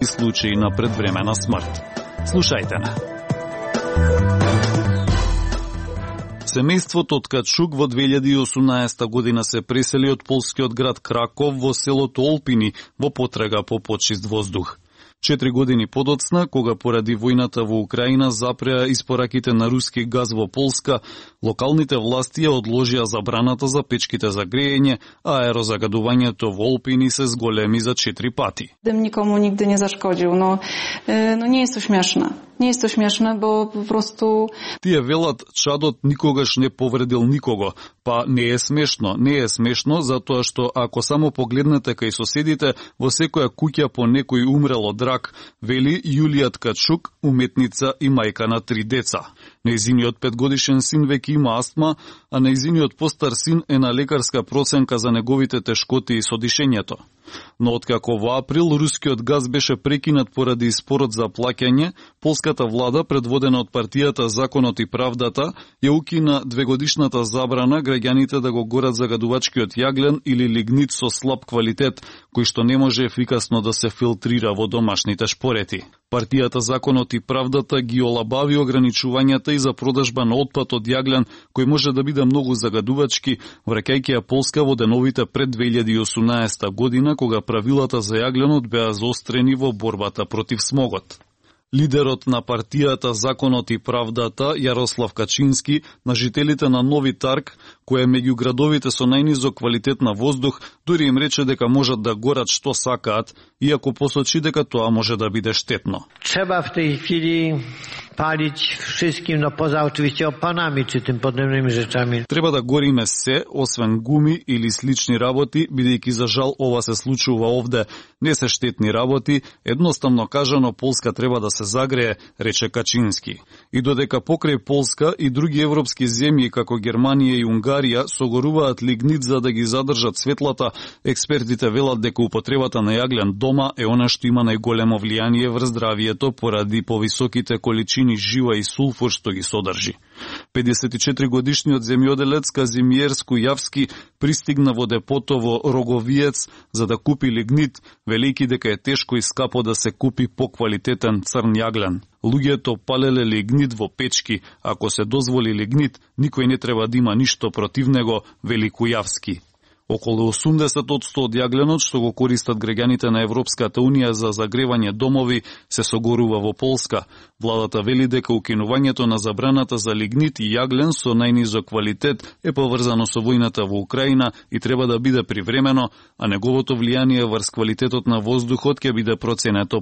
случаи на предвремена смрт. Слушајте на. Семејството од Качук во 2018 година се пресели од полскиот град Краков во селото Олпини во потрага по почист воздух. 4 години подоцна, кога поради војната во Украина запреа испораките на руски газ во Полска, локалните власти ја одложија забраната за печките за грејење, а аерозагадувањето во Олпини се зголеми за 4 пати. Дым никому нигде не зашкодил, но не е то смешно. Не е то смешно, бо просто... Тие велат, чадот никогаш не повредил никого. Па не е смешно. Не е смешно, затоа што ако само погледнете кај соседите, во секоја куќа по некој умрел од рак, вели Јулија Ткачук, уметница и мајка на 3 деца. Нејзиниот 5-годишен син веќе има астма, а нејзиниот постар син е на лекарска проценка за неговите тешкоти со дишењето. Но откако во април рускиот газ беше прекинат поради испорот за плаќање, полската влада, предводена од партијата Законот и правдата, ја укина 2-годишната забрана граѓаните да го горат загадувачкиот јаглен или лигнит со слаб квалитет, кој што не може ефикасно да се филтрира во домашните шпорети. Партијата Законот и правдата ги олабави ограничувањата и за продажба на отпад од јаглен, кој може да биде многу загадувачки, враќајќи ја Полска во деновите пред 2018 година, кога правилата за јагленот беа заострени во борбата против смогот. Лидерот на партијата Законот и правдата, Јарослав Качински, на жителите на Нови Тарг, кој е меѓу градовите со најнизок квалитет на воздух, дури им рече дека можат да горат што сакаат, иако посочи дека тоа може да биде штетно. Треба в tej chwili palić wszystkim, poza oczywiście opanami czy tym podobnymi rzeczami. Треба да гориме се, освен гуми или слични работи, бидејќи за жал ова се случува овде. Не се штетни работи, едноставно кажано Полска треба да се загрее, рече Качински. И додека покрај Полска и други европски земји како Германија и Унгарија согоруваат лигнит за да ги задржат светлата, експертите велат дека употребата на јаглен дома е она што има најголемо влијание врз здравието поради повисоките количини жива и сулфур што ги содржи. 54-годишниот земјоделец Казимиер Скујавски пристигна во депото во Роговиец за да купи лигнит, велики дека е тешко и скапо да се купи поквалитетен црн јаглен. Луѓето палеле лигнит во печки, ако се дозволи лигнит, никој не треба да има ништо против него, вели Кујавски. Околу 80% од јагленот што го користат граѓаните на Европската Унија за загревање домови се согорува во Полска. Владата вели дека укинувањето на забраната за лигнит и јаглен со најнизок квалитет е поврзано со војната во Украина и треба да биде привремено, а неговото влијание врз квалитетот на воздухот ќе биде проценето